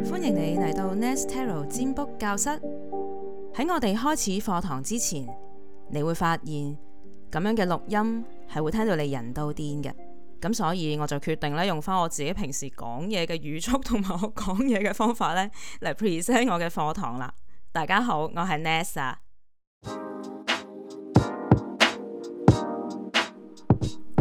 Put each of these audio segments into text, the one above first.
歡迎你嚟到 Nest Tarot 占卜教室。喺我哋開始課堂之前，你會發現咁樣嘅錄音係會聽到你人都癲嘅。咁所以我就決定咧用翻我自己平時講嘢嘅語速同埋我講嘢嘅方法咧嚟 present 我嘅課堂啦。大家好，我係 Nest 啊。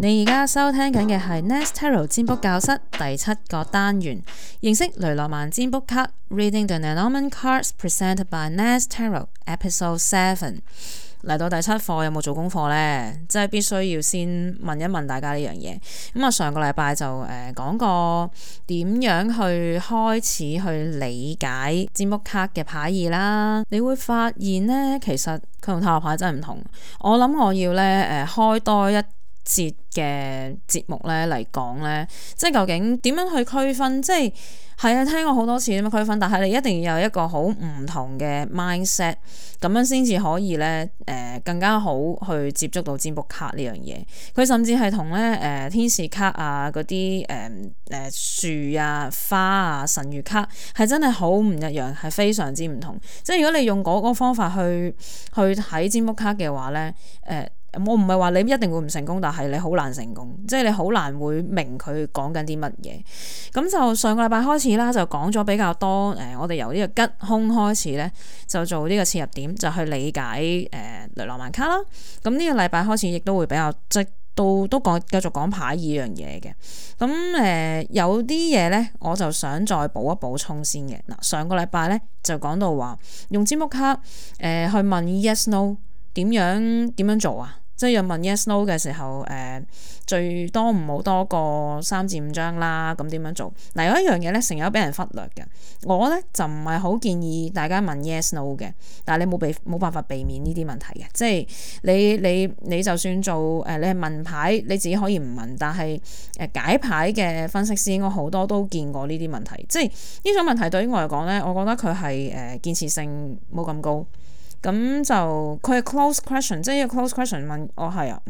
你而家收聽緊嘅係 Nest Tarot 占卜教室第7個單元，認識雷諾曼占卜卡 Reading the Lenormand Cards Presented by Nest Tarot Episode 7。嚟到第7課有冇做功課呢？即係必須要先問一問大家呢樣嘢。咁啊，上個禮拜就講過點樣去開始去理解占卜卡嘅牌意啦。你會發現呢，其實佢同塔羅牌真係唔同。我諗我要咧開多一節嘅節目咧嚟講咧，即係究竟點樣去區分？即係啊，聽過好多次點樣區分，但係你一定要有一個好唔同嘅 mindset， 咁樣先至可以咧更加好去接觸到占卜卡呢樣嘢。佢甚至係同咧天使卡啊嗰啲樹啊花啊神諭卡係真係好唔一樣，係非常之唔同。即係如果你用嗰個方法去睇占卜卡嘅話咧，我唔係話你一定會唔成功，但係你好難成功，即係你好難會明佢講緊啲乜嘢。咁就上個禮拜開始啦，就講咗比較多我哋由呢個吉凶開始咧，就做呢個切入點，就去理解雷諾曼卡啦。咁呢個禮拜開始亦都會比較即都講繼續講牌意樣嘢嘅。咁有啲嘢咧，我就想再補一補充先嘅。嗱，上個禮拜咧就講到話用占卜卡去問 yes no 點樣做啊？即係要問 yes no 嘅時候，最多唔好多過3至5張啦。咁點樣做？嗱，有一樣嘢咧，成日都俾人忽略嘅。我咧就唔係好建議大家問 yes no 嘅，但係你冇辦法避免呢啲問題嘅。即係你就算做你係問牌，你自己可以唔問，但係解牌嘅分析師應該好多都見過呢啲問題。即係呢種問題對於我嚟講咧，我覺得佢係建設性冇咁高。咁就佢係 close question， 即係一個 close question 問我係啊，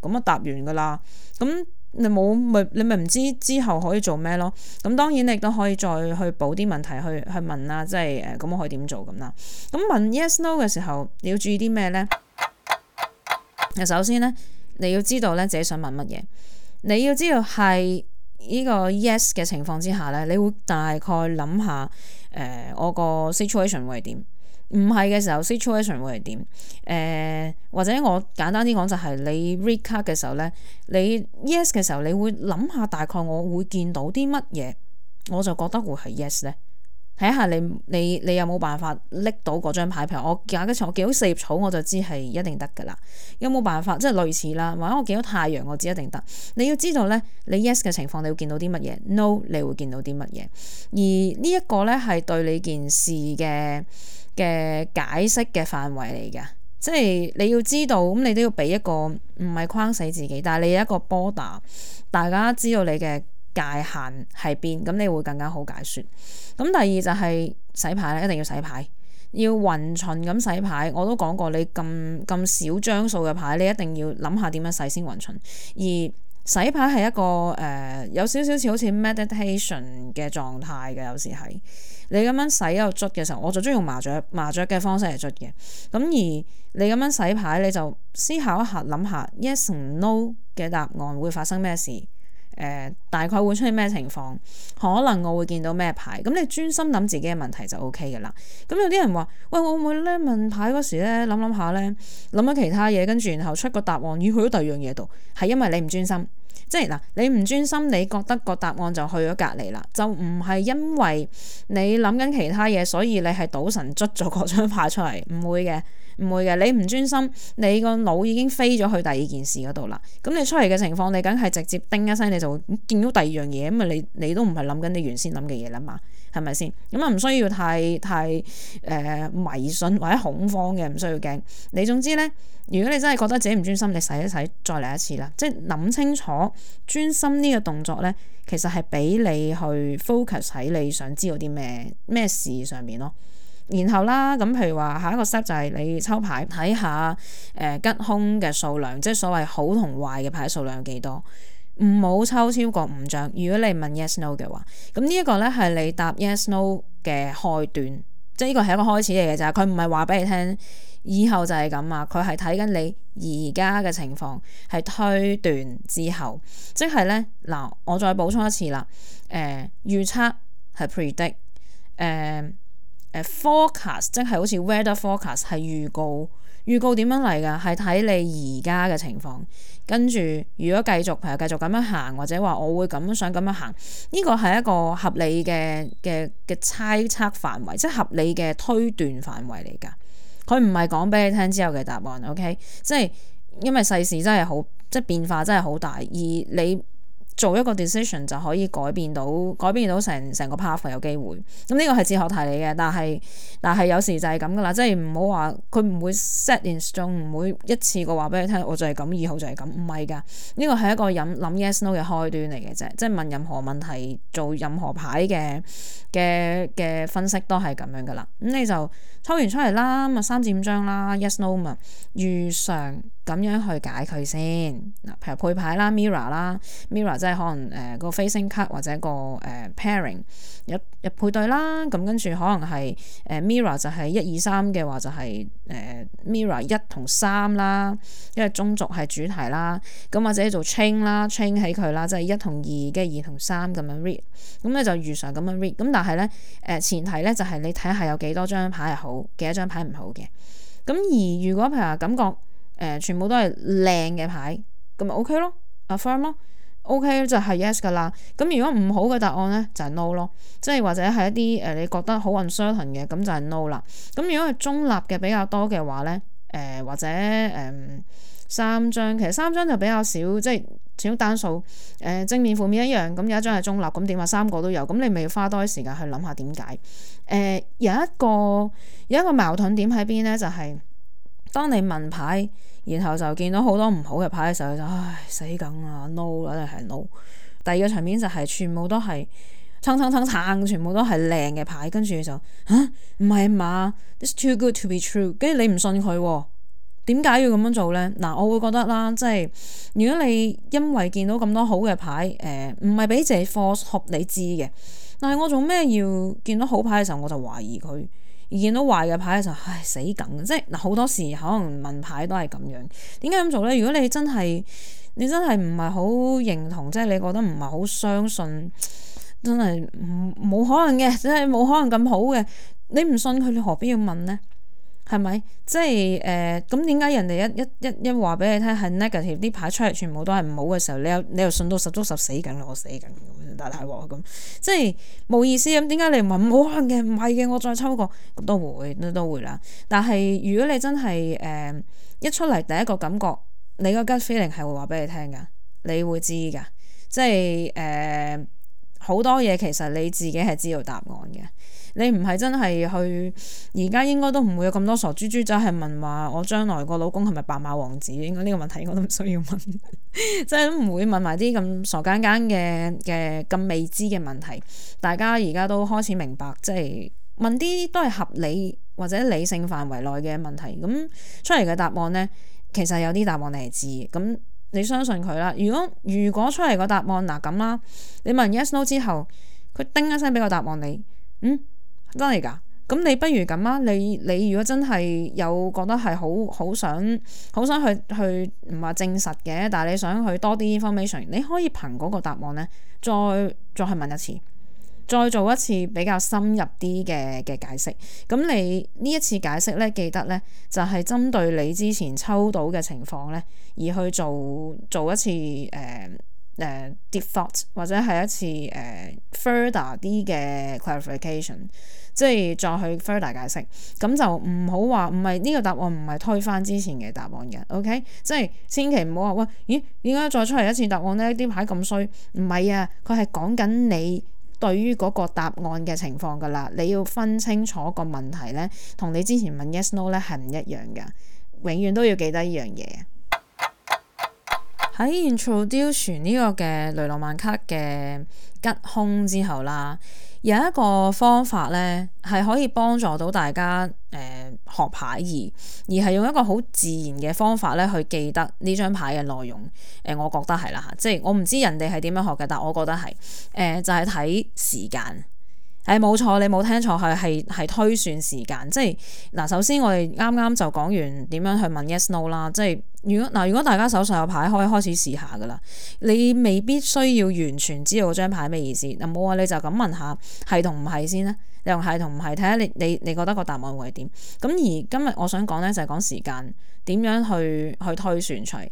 咁啊答完噶啦。咁你咪唔知之後可以做咩咯？咁當然你亦都可以再去補啲問題去問啦，即係咁我可以點做咁啦。咁問 yes no 嘅時候，你要注意啲咩咧？首先咧，你要知道咧自己想問乜嘢。你要知道係呢個 yes 嘅情況之下咧，你會大概諗下我個 situation 會係點。唔係嘅時候 situation 會係點？或者我簡單啲講就係你 read card 嘅時候咧，你 yes 嘅時候，你會諗下大概我會見到啲乜嘢，我就覺得會係 yes 咧。睇下你有冇辦法拎到嗰張牌？譬如我見到4葉草，我就知係一定得噶啦。有冇辦法即係類似啦？或者我見到太陽，我知一定得。你要知道咧，你 yes 嘅情況，你會見到啲乜嘢 ？No， 你會見到啲乜嘢？而呢一個咧係對你件事嘅解釋嘅範圍嚟㗎，即係你要知道，咁你都要俾一個唔係框死自己，但係你有一個 border， 大家知道你嘅界限喺邊，咁你會更加好解說。咁第二就係洗牌咧，一定要洗牌，要勻循咁洗牌。我都講過，你咁少張數嘅牌，你一定要諗下點樣洗先勻循。而洗牌係一個有少少似好似 meditation 嘅狀態嘅，有時係你咁樣洗又捽嘅時候，我就中意用麻雀嘅方式嚟捽嘅。咁而你咁樣洗牌，你就思考一下，諗下 yes 同 no 嘅答案會發生咩事？大概會出現咩情況？可能我會見到咩牌？咁你專心諗自己嘅問題就 OK 嘅啦。咁有啲人話：喂，我會唔會咧問牌嗰時咧諗下咧諗咗其他嘢，跟住然後出個答案要去咗第二樣嘢度，係因為你唔專心。即係嗱，你唔專心，你覺得個答案就去咗隔離啦，就唔係因為你諗緊其他嘢，所以你係賭神捽咗嗰張牌出嚟，唔會嘅。你唔專心，你個腦已經飛咗去第二件事嗰度啦。咁你出嚟嘅情況，你梗係直接叮一聲，你就會見到第二樣嘢，咁啊你都唔係諗緊你原先諗嘅嘢啦嘛，係咪先？咁啊唔需要太迷信或者恐慌嘅，唔需要驚。你總之咧，如果你真係覺得自己唔專心，你洗一洗再嚟一次啦。即係諗清楚專心呢個動作咧，其實係俾你去 focus 喺你想知道啲咩事上面咯。然後啦，咁譬如話下一個 step 就係你抽牌睇下吉凶嘅數量，即係所謂好同壞嘅牌數量有幾多。唔好抽超過5張。如果你問 yes no 嘅話，咁呢一個咧係你答 yes no 嘅開端，即係呢個係一個開始嚟嘅咋。佢唔係話俾你聽以後就係咁啊，佢係睇緊你而家嘅情況，係推斷之後，即係咧嗱，我再補充一次啦。預測係 predict，forecast 即係好似 weather forecast 係預告點樣嚟㗎？係睇你而家嘅情況，跟住如果譬如繼續咁樣行，或者話我會咁樣想咁樣行，呢個係一個合理嘅猜測範圍，即係合理嘅推斷範圍嚟㗎。佢唔係講俾你聽之後嘅答案 ，OK？ 即係因為世事真係好，即係變化真係好大，而你做一個 decision 就可以改變到成個 path 有機會。咁呢個係哲學題嚟嘅，但係有時就係咁噶啦，即係唔好話佢唔會 set in stone，唔會一次過話俾你聽，我就係咁，以後就係咁，唔係㗎。呢個係一個諗 yes no 嘅開端嚟嘅啫，即係問任何問題，做任何牌嘅分析都係咁樣噶啦。咁你就抽完出嚟啦，咁啊3至5張啦 yes no 嘛，如常咁樣去解佢先。嗱，譬如配牌啦 mirror 即係可能個 facing card 或者個pairing 一配對啦，咁跟住可能係mirror 就係1、2、3嘅話就係mirror 1同3啦，因為中軸係主題啦，咁或者做 chain 起佢啦，即係1同2嘅2同3咁樣 read， 咁你就如常咁樣 read， 咁但係咧前提咧就係你睇下有幾多張牌係好，幾多張牌唔好嘅。咁而如果譬如話感覺全部都係靚嘅牌，咁咪 OK 咯 ，affirm 咯 ，OK 就係 yes 噶啦。咁如果唔好嘅答案咧就係 no 咯，即係或者係一啲你覺得好 uncertain 嘅，咁就係 no 啦。咁如果係中立嘅比較多嘅話咧，或者3張，其實3張就比較少，即係始終單數正面負面一樣，咁有一張係中立，咁點話3個都有，咁你咪要花多啲時間去諗下點解。有一個矛盾點喺邊咧，就係當你問牌，然後就見到好多唔好嘅牌嘅時候，就唉死梗啊 no 啦，一定係 no。第二個場面就係全部都係撐，全部都係靚嘅牌，跟住就嚇唔係嘛 ，it's too good to be true， 跟住你唔信佢喎。點解要咁樣做呢？嗱，我會覺得啦，即係如果你因為見到咁多好嘅牌，唔係俾自己 force hope 你知嘅，但係我做咩要見到好牌嘅時候我就懷疑佢，而見到壞嘅牌嘅時候，唉死梗，即係嗱好多時可能問牌都係咁樣。點解咁做呢？如果你真係唔係好認同，即係你覺得唔係好相信，真係冇可能嘅，即係冇可能咁好嘅，你唔信佢，你何必要問呢？係咪？即係咁點解人哋一話俾你聽係 negative 啲牌出嚟全部都係唔好嘅時候，你又信到十足十死緊啦，我死緊大鑊咁，即係冇意思咁。點解你唔話冇可能嘅？唔係嘅，我再抽過咁都會啦。但係如果你真係一出嚟第一個感覺，你個 gut feeling 係會話俾你聽噶，你會知噶。即係好多嘢其實你自己係知道答案嘅。你唔係真係去，而家應該都唔會有咁多傻豬豬仔係問話我將來個老公係咪白馬王子，應該呢個問題我都唔需要問，即係都唔會問埋啲咁傻更更嘅咁未知嘅問題。大家而家都開始明白，即係問啲都係合理或者理性範圍內嘅問題，咁出嚟嘅答案呢，其實有啲答案你係知，咁你相信佢啦。如果出嚟個答案嗱咁啦，你問 yes no 之後，佢叮一聲俾個答案你，真係㗎？咁你不如咁啊！你如果真係有覺得係好想去唔話證實嘅，但係你想去多啲 information， 你可以憑嗰個答案咧，再去問一次，再做一次比較深入啲嘅解釋。咁你呢一次解釋咧，記得咧就係針對你之前抽到嘅情況咧，而去做一次deep thought 或者係一次further 啲嘅 clarification， 即係再去 further 解釋。咁就唔好話唔係呢個答案唔係推翻之前嘅答案嘅 OK， 即係千祈唔好話喂，咦點解再出嚟一次答案呢？啲牌咁衰，唔係啊，佢係講緊你對於嗰個答案嘅情況噶啦，你要分清楚個問題呢，同你之前問 yes no 呢係唔一樣噶，永遠都要記得呢樣嘢。喺 introduce 呢個嘅雷諾曼卡嘅吉凶之後啦，有一個方法咧係可以幫助到大家學牌而係用一個好自然嘅方法咧去記得呢張牌嘅內容。我覺得係啦嚇，即係我唔知人哋係點樣學嘅，但我覺得係就係睇時間。係冇錯，你冇聽錯，係推算時間。即係嗱，首先我哋啱啱就講完點樣去問 yes no 啦。即係如果大家手上有牌，可以開始試下噶啦。你未必需要完全知道張牌咩意思。嗱，冇話你就咁問下係同唔係先啦。你用係同唔係，睇下你覺得個答案會係點。咁而今日我想講咧就係講時間點樣去推算出嚟。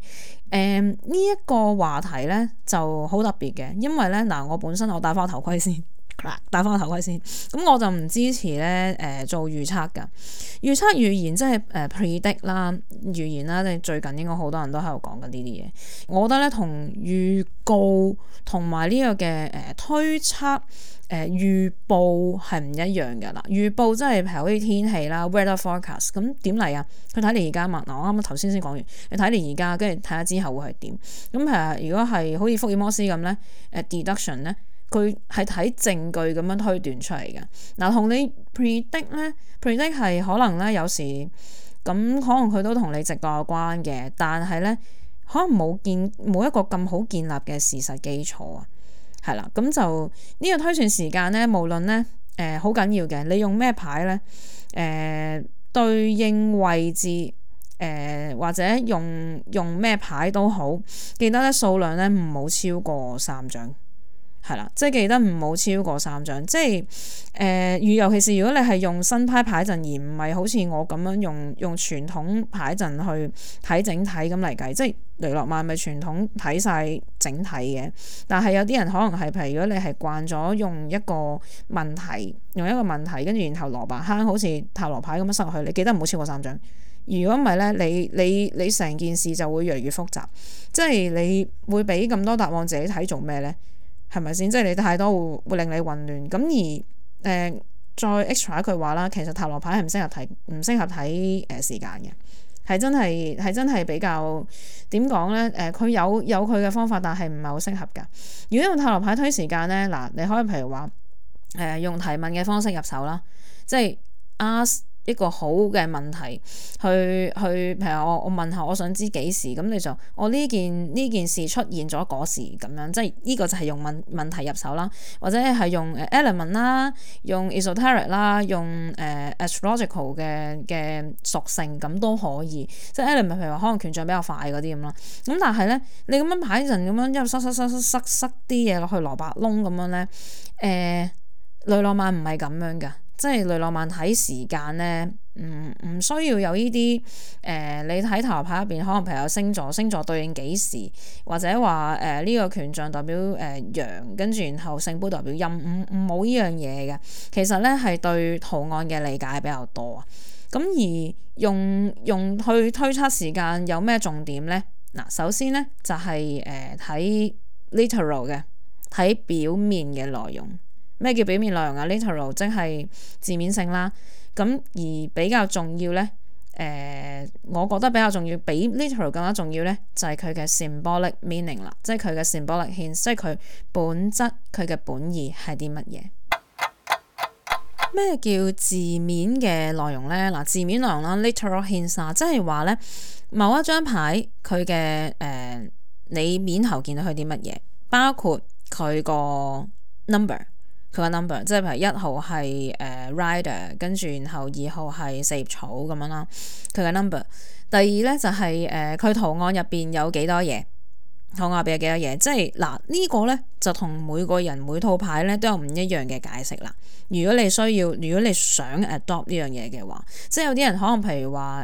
呢一個話題咧就好特別嘅，因為咧嗱，我本身我戴翻頭盔先。戴翻個頭盔先，咁我就唔支持咧做預測㗎。預測預言即係predict 啦，預言啦，即係最近應該好多人都喺度講緊呢啲嘢。我覺得咧同預告同埋呢個嘅推測預報係唔一樣㗎啦。預報即係譬如好似天氣啦 weather forecast， 咁點嚟啊？佢睇你而家嘛。嗱，我啱啱頭先講完，你睇你而家，跟住睇下之後會係點。咁譬如如果係好似福爾摩斯咁咧，deduction 咧。佢係睇證據咁樣推斷出嚟嘅。嗱，同你 predict 咧 ，predict 係可能咧有時咁，可能佢都同你直覺有關嘅，但係咧可能冇一個咁好建立嘅事實基礎啊，係啦，咁就呢個推算時間咧，無論咧好緊要嘅，你用咩牌咧對應位置或者用咩牌都好，記得咧數量咧唔好超過3張。係啦，即係記得唔好超過3張，即係尤其是如果你係用新派牌陣，而唔係好似我咁樣用傳統牌陣去睇整體咁嚟計，即係雷諾曼咪傳統睇晒整體嘅。但係有啲人可能係，譬如如果你係慣咗用一個問題，跟住然後蘿蔔坑好似塔羅牌咁樣塞落去，你記得唔好超過3張。如果唔係咧，你成件事就會越嚟越複雜，即係你會俾咁多答案自己睇做咩咧？係咪先？即係你太多會令你混亂。咁而再 extra 一句話啦，其實塔羅牌係唔適合睇時間嘅，係真係比較點講咧？佢有佢嘅方法，但係唔係好適合㗎。如果用塔羅牌推時間咧，嗱，你可以譬如話用提問嘅方式入手啦，即係 ask一個好嘅問題去，譬如我問下，我想知幾時，咁你就我呢件事出現咗嗰時咁樣，即係呢個就係用問題入手啦，或者係用element 啦，用 esoteric 啦，用astrological 嘅屬性咁都可以，即係 element 譬如話可能權杖比較快嗰啲咁啦。咁但係咧，你咁樣排陣咁樣一路塞啲嘢落去蘿蔔窿咁樣咧，雷諾曼唔係咁樣㗎。即係雷諾曼睇時間咧，唔需要有呢啲你睇塔羅牌入邊，可能譬如有星座對應幾時，或者話呢個權杖代表陽，跟住然後聖杯代表陰，冇呢樣嘢嘅。其實咧係對圖案嘅理解比較多啊。咁而用去推測時間有咩重點咧？嗱，首先咧就係睇 literal 嘅，睇表面嘅內容。咩叫表面內容啊 ？literal 即係字面性啦。咁而比較重要咧，我覺得比較重要，比 literal 更加重要咧，就係佢嘅 symbolic meaning 啦，即係佢嘅 symbolic hint，即係佢本質，佢嘅本意係啲乜嘢？咩叫字面嘅內容咧？嗱，字面內容啦 ，literal hints 啊，即係話咧，某一張牌佢嘅你面頭見到佢啲乜嘢，包括佢個 number。佢個 number 即係譬如1號係rider， 跟住然後2號係四葉草咁樣啦。佢嘅 number。第二咧就係佢圖案入邊有幾多嘢，圖案入邊有幾多嘢。即係嗱呢個咧就同每個人每套牌咧都有唔一樣嘅解釋啦。如果你想 adopt 呢樣嘢嘅話，即係有啲人可能譬如話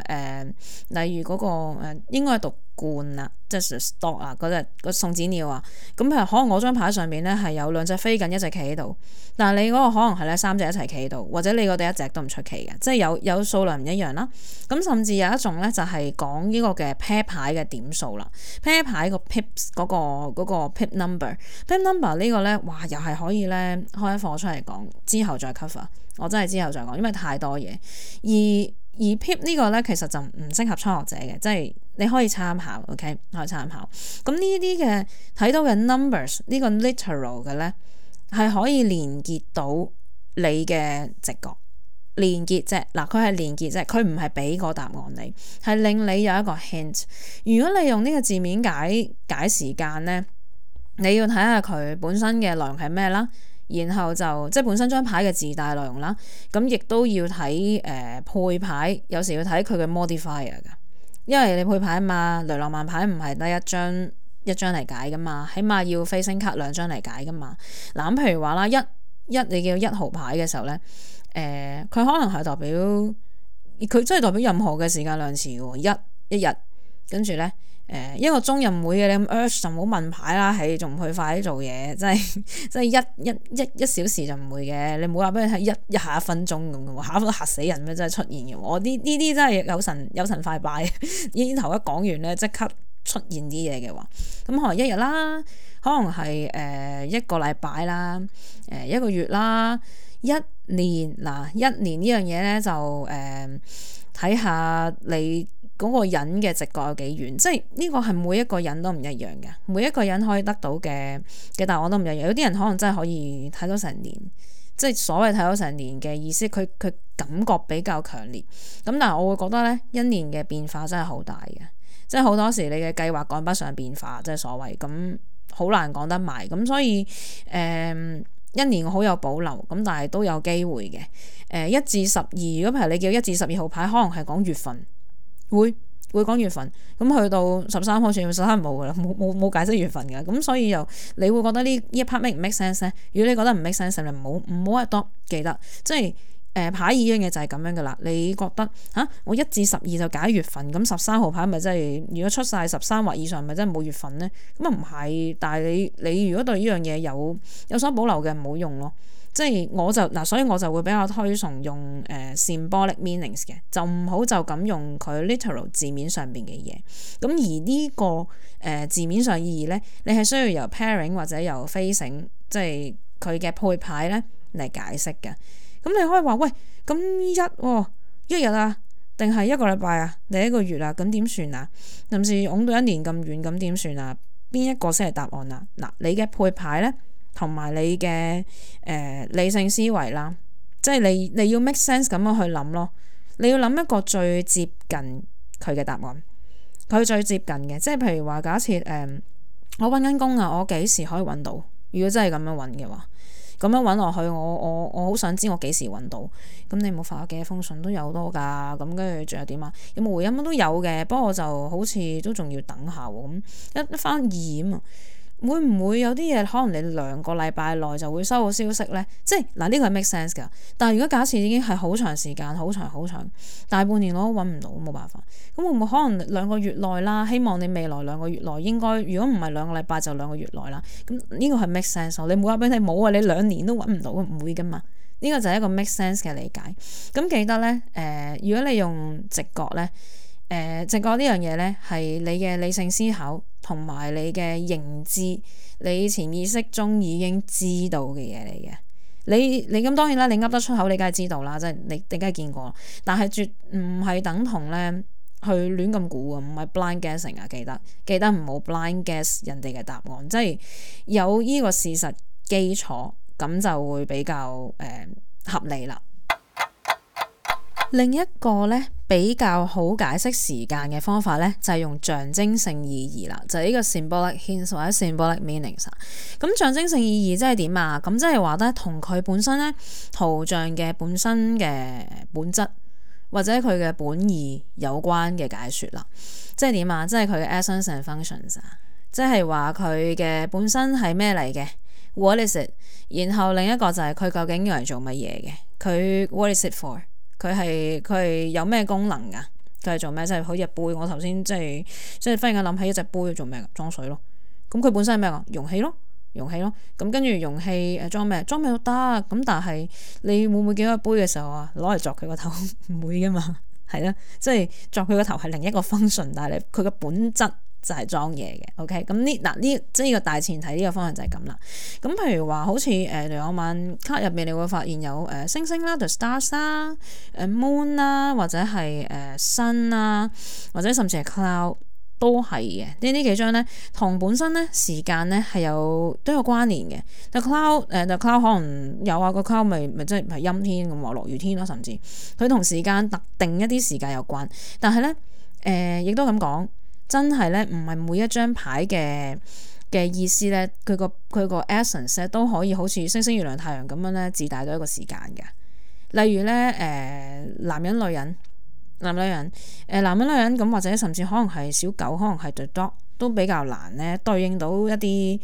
例如嗰個應該係讀罐啊，即係 stock 啊，嗰隻個送子鳥啊，咁譬如可能我張牌上面咧係有2隻飛緊，一隻企喺度，但係你嗰個可能係咧3隻一齊企喺度，或者你嗰度一隻都唔出奇嘅，即係有數量唔一樣啦。咁甚至有一種咧就係講呢個嘅 pair 牌嘅點數啦 ，pair 牌個 pips 嗰個 pip number 呢個咧，哇又係可以咧開一課出嚟講，之後再 cover， 我真係之後再講，因為太多嘢。而而 PIP 呢個咧其實就唔適合初學者嘅，即係你可以參考 ，OK 可以參考。咁呢啲嘅睇到嘅 numbers 呢個 literal 嘅咧係可以連結到你嘅直覺。連結啫，嗱佢係連結啫，佢唔係俾個答案你，係令你有一個 hint。如果你用呢個字面解時間咧，你要睇下佢本身嘅內容係咩啦，然後就即係本身張牌嘅自帶內容啦，咁亦都要睇配牌，有時要睇佢嘅 modifier 㗎，因為你配牌啊嘛，雷諾曼牌唔係得一張嚟解噶嘛，起碼要飛星卡2張嚟解噶嘛。嗱咁譬如話啦，你叫1號牌嘅時候咧。佢可能係代表佢真係代表任何嘅時間量詞喎，一日跟住咧1個鐘又唔會嘅，你咁 urge 就唔好問牌啦，係仲唔去快啲做嘢，即係一小時就唔會嘅，你唔好話俾佢睇一下1分鐘咁嘅喎，嚇死人咩？真係出現嘅，我呢啲真係有神快拜，已經頭一講完咧即刻出現啲嘢嘅話，咁可能1日啦，可能係1個禮拜啦，1個月啦。1年嗱，1年呢樣嘢咧就睇下你嗰個人嘅直覺有幾遠，即係呢個係每一個人都唔一樣嘅，每一個人可以得到嘅答案都唔一樣。有啲人可能真係可以睇到成年，即係所謂睇到成年嘅意思，佢感覺比較強烈。咁但係我會覺得咧，1年嘅變化真係好大嘅，即係好多時你嘅計劃趕不上變化，即係所謂咁好難講得埋。咁所以1年我好有保留，咁但係都有機會嘅。1至12，如果譬如你叫1至12號牌，可能係講月份，會講月份。咁去到13號，全部13冇噶啦，冇解釋月份噶。咁所以又你會覺得呢一 part make 唔 make sense 咧？如果你覺得唔 make sense，你唔好多記得，即係。牌意呢樣嘢就係咁樣噶啦，你覺得我1至12就解月份，咁13號牌咪真係如果出晒13或以上，咪真係冇月份呢？咁啊唔係，但係你如果對呢樣嘢有所保留嘅，唔好用咯。即係所以我就會比較推崇用symbolic meanings 嘅，就唔好就咁用佢 literal 字面上邊嘅嘢。咁而呢個字面上意義咧，你係需要由 pairing 或者由 facing，即係佢嘅配牌咧嚟解釋嘅。咁你可以話喂，咁一日啊，定係1個禮拜啊，定1個月啊，咁點算啊？甚至擁到1年咁遠，咁點算啊？邊一個先係答案啊？嗱，你嘅配牌咧，同埋你嘅理性思維啦，即係你要 make sense 咁樣去諗咯。你要諗一個最接近佢嘅答案，佢最接近嘅，即係譬如話假設我揾緊工啊，我幾時可以揾到？如果真係咁樣揾嘅話。咁樣揾落去，我好想知我幾時揾到。咁你冇發咗幾多封信都有多㗎，咁跟住仲有點啊？有冇回音都有嘅，不過就好似都仲要等下喎。咁一翻二啊嘛，會唔會有啲嘢可能你2個禮拜內就會收到消息呢？即係嗱，呢個係 make sense 㗎。但係如果假設已經係好長時間，好長，大半年我都揾唔到，冇辦法。咁會唔會可能2個月內啦？希望你未來2個月內應該，如果唔係2個禮拜就2個月內啦。咁呢個係 make sense。你冇話俾你冇啊，你2年都揾唔到，唔會㗎嘛。呢個就係一個 make sense 嘅理解。咁記得呢，如果你用直覺呢。直覺呢樣嘢呢，係你嘅理性思考同埋你嘅認知，你潛意識中已經知道嘅嘢嚟嘅。你咁當然啦，你噏得出口，你梗係知道啦，即係你梗係見過。但係絕唔係等同呢去亂咁估啊，唔係 blind guessing 啊，記得唔好 blind guess 人哋嘅答案，即係有呢個事實基礎，咁就會比較合理啦。另一個咧比較好解釋時間嘅方法咧，就係用象徵性意義啦，就係呢個 symbolic hints 或者 symbolic meanings。咁象徵性意義即係點啊？咁即係話咧，同佢本身咧圖像嘅本身嘅本質或者佢嘅本意有關嘅解說啦。即係點啊？即係佢嘅 essence and functions 啊，即係話佢嘅本身係咩嚟嘅 ？What is it？ 然後另一個就係佢究竟用嚟做乜嘢嘅？佢 What is it for？佢係有咩功能噶？佢係做咩？即係好似杯，我頭先即係忽然間諗起一隻杯做咩噶？裝水咯。咁佢本身係咩噶？容器咯。咁跟住容器裝咩？裝咩都得。咁但係你會唔會見到個杯嘅時候啊，攞嚟鑿佢個頭？唔會噶嘛。係啦，即係鑿佢個頭係另一個 function，但係佢嘅本質就係裝嘢嘅。OK， 咁呢即係呢個大前提，呢個方向就係咁啦。咁譬如話好似雷諾曼卡入面，你會發現有星星啦 ，the stars 啦，moon 啦，或者係sun 啦，或者甚至係 cloud 都係嘅。呢幾張咧同本身咧時間咧係都有關聯嘅。the cloud 可能有啊，個 cloud 咪即係陰天咁話落雨天啦，甚至佢同時間特定一啲時間有關。但係咧亦都咁講。真係咧，唔係每一張牌嘅意思咧，佢個 essence 咧都可以好似星星、月亮、太陽咁樣咧，自帶到一個時間嘅。例如咧，男人、女人咁，或者甚至可能係小狗，可能係 the dog 都比較難咧對應到一啲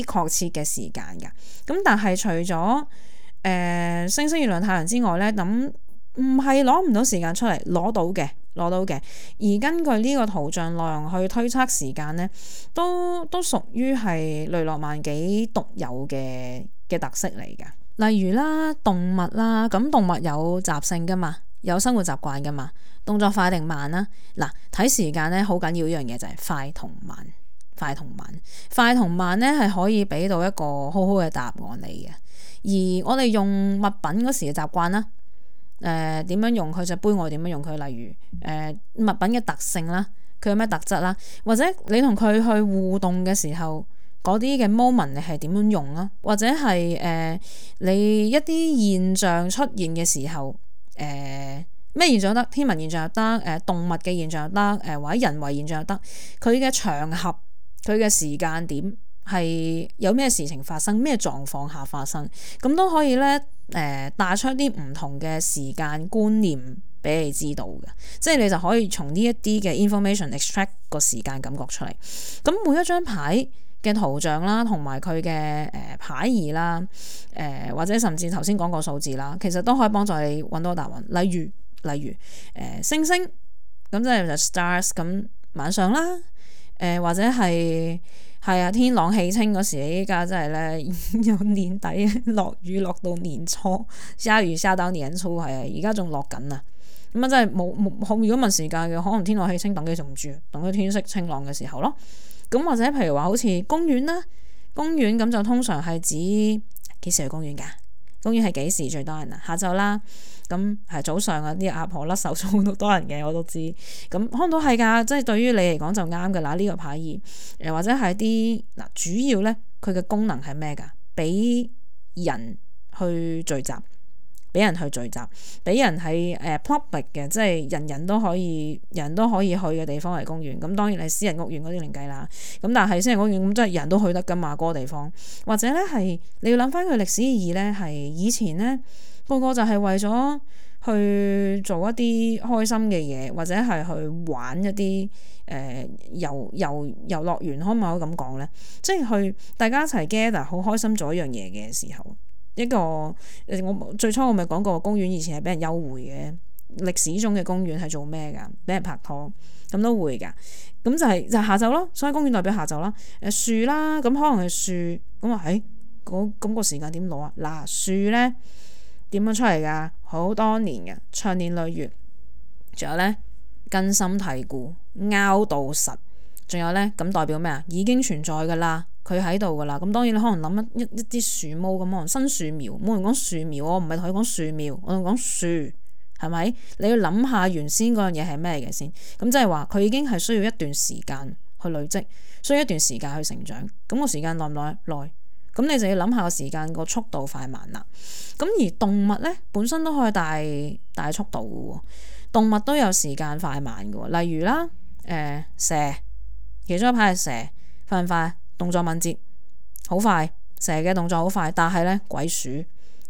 確切嘅時間㗎。咁但係除咗星星、月亮、太陽之外咧，咁唔係攞唔到時間出嚟，攞到嘅。而根據呢個圖像內容去推測時間咧，都屬於係雷諾曼幾獨有嘅特色嚟㗎。例如啦，動物啦，咁動物有習性㗎嘛，有生活習慣㗎嘛，動作快定慢啦？嗱，睇時間咧好緊要一樣嘢就係快同慢咧係可以俾到一個好好嘅答案你嘅。而我哋用物品嗰時嘅習慣啦。點樣用佢隻杯，我點樣用佢？例如物品嘅特性啦，佢有咩特質啦，或者你同佢去互動嘅時候，嗰啲嘅 moment 你係點樣用啦？或者係你一啲現象出現嘅時候，咩現象得？天文現象又得，動物嘅現象又得，或者人為現象又得。佢嘅場合，佢嘅時間點係有咩事情發生，咩狀況下發生，咁都可以咧。帶出啲唔同嘅時間觀念俾你知道嘅，即係你就可以從呢一啲嘅 information extract 個時間感覺出嚟。咁每一張牌嘅圖像啦，同埋佢嘅牌意啦，或者甚至頭先講個數字啦，其實都可以幫助你揾到答案。例如星星咁即係就 stars 咁晚上啦，或者係啊天朗氣清嗰時，依家真係咧由年底落雨落到年初，下雨下到年初，係啊，而家仲落緊啊！咁啊真係冇如果問時間嘅，可能天朗氣清等幾仲唔住，等佢天色清朗嘅時候咯。咁或者譬如話好似公園啦，公園咁就通常係指幾時去公園㗎？公園係幾時最多人啊？下晝啦，咁係早上啊，啲阿婆甩手操都多人嘅，我都知。咁可能都係㗎，即係對於你嚟講就啱㗎啦。呢個牌意或者係啲嗱，主要咧佢嘅功能係咩㗎？俾人去聚集，俾人係public 嘅，即係人人都可以去嘅地方嚟公園。咁當然係私人屋苑嗰啲另計啦。咁但係私人屋苑咁即係人都去得㗎嘛，嗰個地方。或者咧係你要諗翻佢歷史意義咧，係以前咧個個就係為咗去做一啲開心嘅嘢，或者係去玩一啲遊樂園，可唔可以咁講咧？即係去大家一齊 gather 好開心做一樣嘢嘅時候。一個我最初我咪講過公園以前係俾人幽會嘅，歷史中嘅公園係做咩㗎？俾人拍拖咁都會㗎，咁就係下晝咯，所以公園代表下晝啦。樹啦，咁可能係樹咁話咁個時間點攞啊？嗱，樹咧點樣出嚟㗎？好多年嘅長年累月，仲有咧根深蒂固拗到實，仲有咧咁代表咩啊？已經存在㗎啦。佢喺度噶啦，咁當然你可能諗一啲樹木咁，可能新樹苗，冇人講樹苗，我唔係同你講樹苗，我同你講樹，係咪？你要諗下原先嗰樣嘢係咩嘅先，咁即係話佢已經係需要一段時間去累積，需要一段時間去成長，咁個時間耐唔耐？耐，咁你就要諗下個時間個速度快慢啦。咁而動物咧本身都可以大速度嘅喎，動物都有時間快慢嘅喎，例如啦，蛇，其中一排係蛇，快唔快？動作敏捷，好快，蛇嘅動作好快，但係咧鬼鼠，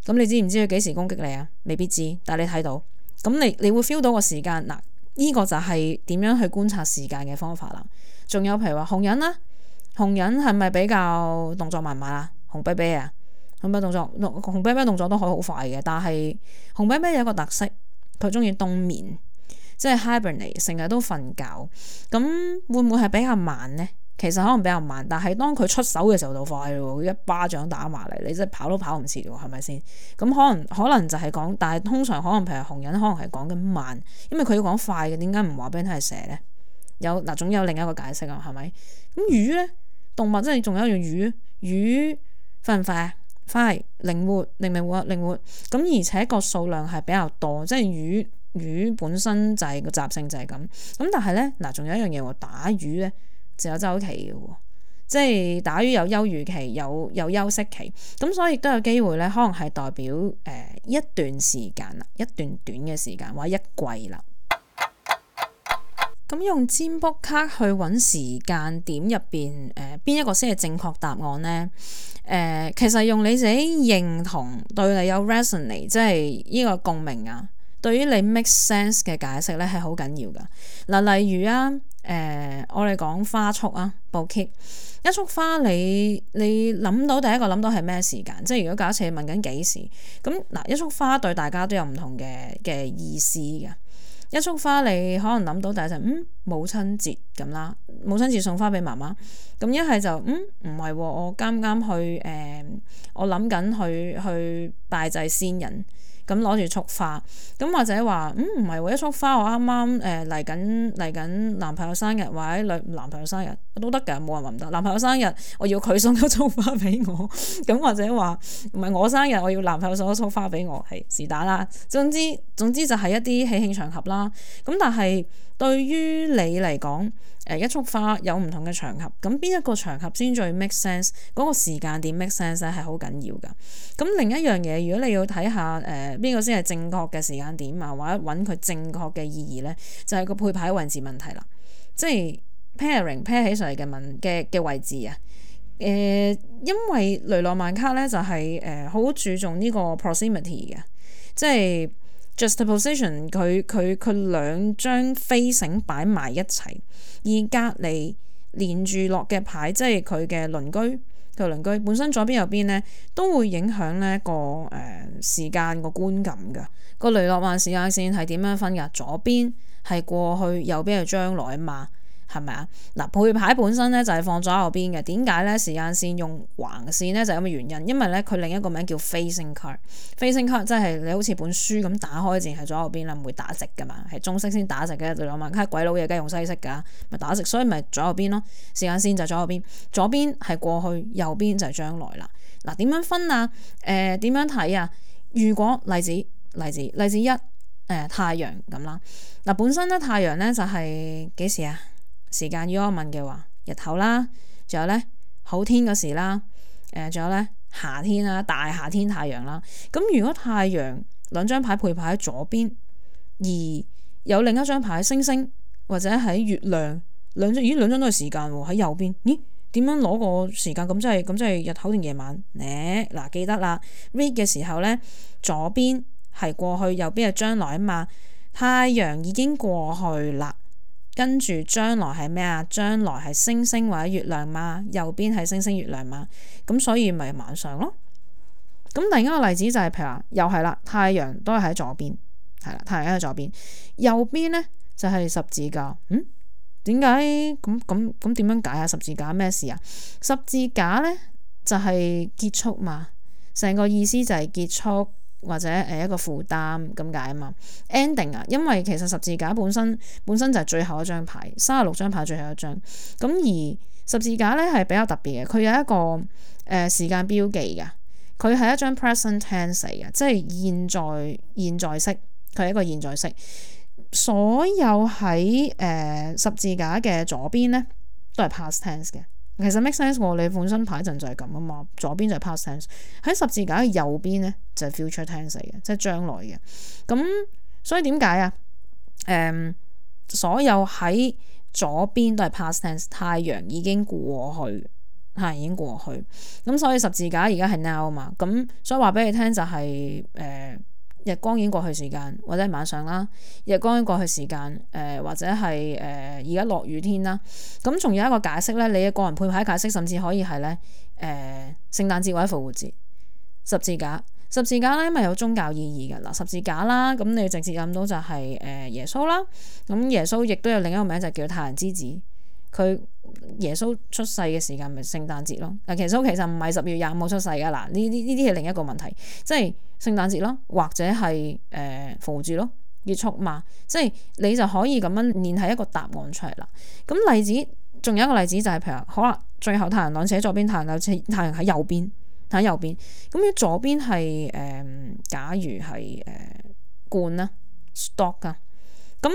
咁你知唔知佢幾時攻擊你啊？未必知，但係你睇到，咁你會 feel 到個時間嗱，呢個就係點樣去觀察時間嘅方法啦。仲有譬如話紅人啦，紅人係咪比較動作慢慢啊？紅啤啤啊，紅啤啤動作都可以好快嘅，但係紅啤啤有一個特色，佢中意冬眠，即係 hibernate，成日都瞓覺，咁會唔會係比較慢呢？其實可能比較慢，但係當佢出手嘅時候就快咯，一巴掌打埋嚟，你真係跑都跑唔切喎，係咪先？咁可能就係講，但係通常可能譬如紅人可能係講緊慢，因為佢要講快嘅，點解唔話俾你聽係蛇呢？總有另一個解釋啊，係咪？咁魚咧，動物即係仲有一樣魚快唔快啊？快，靈活，靈活。咁而且個數量係比較多，即係魚本身就係個習性就係咁。咁但係咧仲有一樣嘢喎，打魚咧就有週期嘅喎。即係打魚有休漁期，有休息期，咁所以亦都有機會咧，可能係代表一段時間啦，一段短嘅時間或者一季啦。咁用占卜卡去揾時間點入邊邊一個先係正確答案呢？其實用你自己認同對你有 resonate， 即係呢個共鳴啊，對於你 make sense 嘅解釋咧係好緊要噶。嗱，例如啊，我哋講花束啊，bouquet，一束花你諗到第一個諗到係咩時間？即係如果假設你問緊幾時，咁嗱，一束花對大家都有唔同嘅意思嘅。一束花你可能諗到第一陣母親節咁啦，母親節送花俾媽媽。咁一係就唔係喎，我啱啱去我諗緊去拜祭先人。咁攞住束花，咁或者話唔係喎，一束花我啱啱嚟緊男朋友生日或者男朋友生日都得㗎，冇人話唔得。男朋友生日我要佢送一束花俾我，咁或者話唔係我生日我要男朋友送一束花俾我，係是但啦。總之就係一啲喜慶場合啦。咁但係對於你嚟講，一束花有唔同嘅場合，咁邊一個場合先最 make sense？嗰個時間點 make sense 咧係好緊要㗎。咁另一樣嘢，如果你要睇下邊個先係正確嘅時間點啊，或者揾佢正確嘅意義咧，就係個配牌位置問題啦。即係 pair 起上嚟嘅位置啊。因為雷諾曼卡咧就係好注重呢個 proximity 嘅，即係 juxtaposition 佢兩張飛繩擺埋一齊，而隔離連住落嘅牌，即係佢嘅鄰居本身左邊右邊咧都會影響呢個時間個觀感㗎。個雷諾曼時間線係點樣分㗎？左邊係過去，右邊係將來啊嘛。係咪啊？嗱，配牌本身咧就係放左右邊嘅。點解咧？時間線用橫線咧就係咁嘅原因，因為咧佢另一個名叫 facing card。facing card 即係你好似本書咁打開，淨係左右邊啦，唔會打直噶嘛，係中式先打直嘅。雷諾曼卡鬼佬嘢梗係用西式噶，咪打直，所以咪左右邊咯。時間線就係左右邊，左邊係過去，右邊就係將來啦。嗱，點樣分啊？點樣睇啊？如果例子一太陽咁啦。嗱，本身咧太陽咧就係幾時啊？時間如果我問嘅話，日頭啦，仲有咧好天嗰時啦，仲有咧夏天啦，大夏天太陽啦。咁如果太陽兩張牌配牌喺左邊，而有另一張牌星星或者喺月亮，兩張都係時間喎，喺右邊，咦？點樣攞個時間？咁即係日頭定夜晚咧？嗱，記得啦 ，read 嘅時候咧，左邊係過去，右邊係將來啊嘛。太陽已經過去啦。跟住將來係咩啊？將來係星星或者月亮嘛，右邊係星星月亮嘛，咁所以咪晚上咯。咁另一個例子就係譬如話，又係啦，太陽都係喺左邊，係啦，太陽喺左邊，右邊咧就係十字架。點解咁點樣解啊？十字架咩事啊？十字架咧就係結束嘛，成個意思就係結束。或者一個負擔咁解啊嘛 ending 啊，因為其實十字架本身就係最後一張牌，36張牌最後一張。咁而十字架咧係比較特別嘅，佢有一個時間標記嘅，佢係一張 present tense 嚟嘅，即係現在式，佢係一個現在式。所有喺十字架嘅左邊咧都係 past tense 嘅。其實 make sense 喎，你本身牌陣就係咁啊嘛，左邊就係 past tense，喺十字架嘅右邊咧就係 future tense 嚟嘅，即係將來嘅。咁所以點解啊？所有喺左邊都係 past tense， 太陽已經過去，已經過去。咁所以十字架而家係 now 啊嘛，咁所以話俾你聽就係日光已經過去時間，或者係晚上啦。日光已經過去時間，或者係而家落雨天啦。咁仲有一個解釋咧，你嘅個人配牌解釋，甚至可以係咧聖誕節或者復活節。十字架咧，因為有宗教意義嘅嗱，十字架啦，咁你直接諗到就係耶穌啦。咁耶穌亦都有另一個名就叫太陽之子。佢耶穌出世嘅時間咪聖誕節咯。嗱，其實唔係10月25號出世噶嗱，呢啲係另一個問題，即係聖誕節咯，或者係復活節咯。結束嘛，即係你就可以咁樣練係一個答案出嚟啦。咁例子仲有一個例子就係譬如好啦，最後太陽浪寫左邊，太陽喺右邊，喺右邊。咁如果左邊係假如係罐啦 stock 啊，咁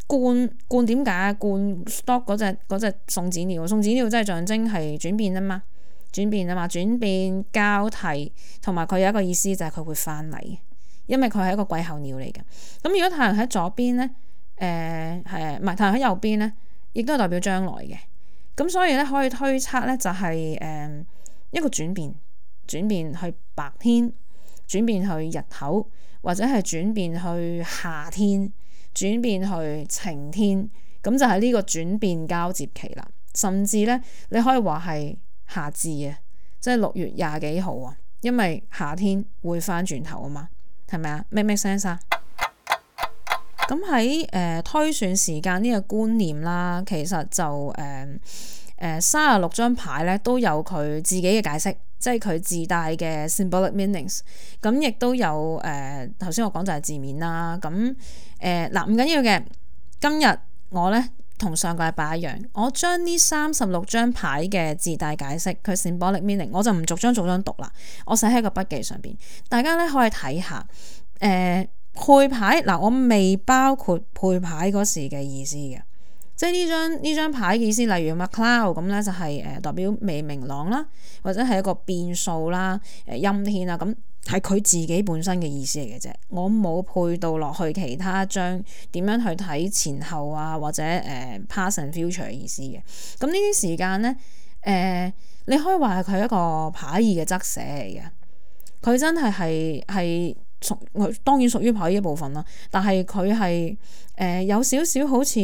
罐點解罐 stock 嗰隻送子鳥即係象徵係轉變啊嘛，轉變交替，同埋佢有一個意思就係佢會翻嚟，因為佢係一個季候鳥嚟嘅。咁如果太陽喺左邊咧，唔係太陽喺右邊咧，亦都係代表將來嘅。咁所以咧可以推測咧就係一個轉變去白天，轉變去日頭，或者係轉變去夏天，轉變去晴天，咁就係呢個轉變交接期啦。甚至咧你可以話係夏至啊，即係6月20幾號啊，因為夏天會翻轉頭啊嘛，係咪啊？make sense 啊？咁喺推算時間呢個觀念啦，其實就36張牌咧都有佢自己嘅解釋，即係佢自帶嘅 symbolic meanings。咁亦都有頭先我講就係字面啦。咁嗱唔緊要嘅，今日我咧同上個禮拜一樣，我將呢36張牌嘅自帶解釋，佢 symbolic meaning， 我就唔逐張讀啦，我寫喺個筆記上邊，大家咧可以睇下配牌嗱，我未包括配牌嗰時嘅意思嘅，即係呢張牌嘅意思，例如 McCloud 咁咧就係代表未明朗啦，或者係一個變數啦，陰天啦，咁係佢自己本身嘅意思嚟嘅啫，我冇配到落去其他張點樣去睇前後啊，或者past and future 嘅意思嘅。咁呢啲時間咧你可以話係佢一個牌意嘅側寫嚟嘅，佢真係當然屬於牌意一部分啦，但係佢係有少少好似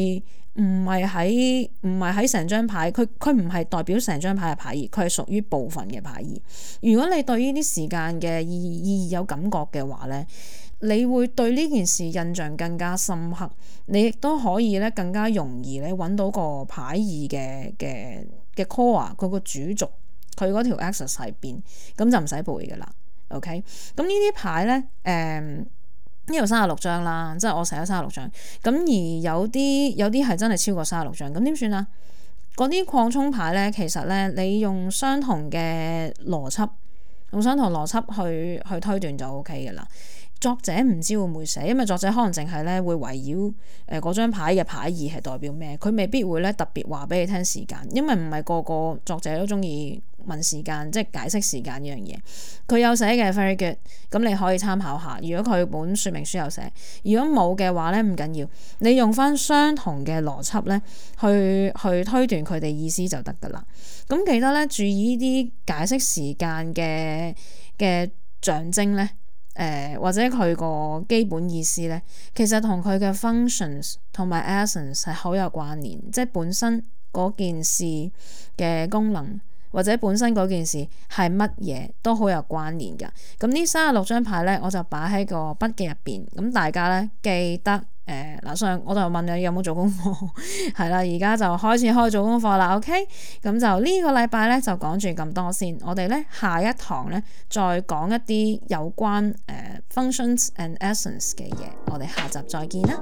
唔係喺成張牌，佢唔係代表成張牌嘅牌意，佢係屬於部分嘅牌意。如果你對呢啲時間嘅意義有感覺嘅話咧，你會對呢件事印象更加深刻，你亦都可以咧更加容易咧揾到個牌意嘅 core， 佢個主軸，佢嗰條 axis 喺邊，咁就唔使背噶啦。OK， 咁呢啲牌咧，呢度36張啦，即係我寫咗36張，咁而有啲係真係超過36張，咁點算啊？嗰啲擴充牌咧，其實咧你用相同嘅邏輯，去推斷就 OK 嘅啦。作者唔知會唔會寫，因為作者可能淨係咧會圍繞嗰張牌嘅牌意係代表咩，佢未必會咧特別話俾你聽時間，因為唔係個個作者都中意問時間，即係解釋時間呢樣嘢。佢有寫嘅 very good， 咁你可以參考下。如果佢本說明書有寫，如果冇嘅話咧唔緊要，你用翻相同嘅邏輯咧去推斷佢哋意思就得噶啦。咁記得咧注意呢啲解釋時間嘅象徵咧。或者佢個基本意思咧，其實同佢嘅 functions 同埋 essence 係好有關聯，即係本身嗰件事嘅功能或者本身嗰件事係乜嘢都好有關聯㗎。咁呢36張牌咧，我就擺喺個筆記入邊，咁大家咧記得上我就問你有冇做功課，係啦，而家就開始做功課啦。OK， 咁就呢個禮拜咧就講住咁多先，我哋咧下一堂咧再講一啲有關functions and essence 嘅嘢，我哋下集再見啦。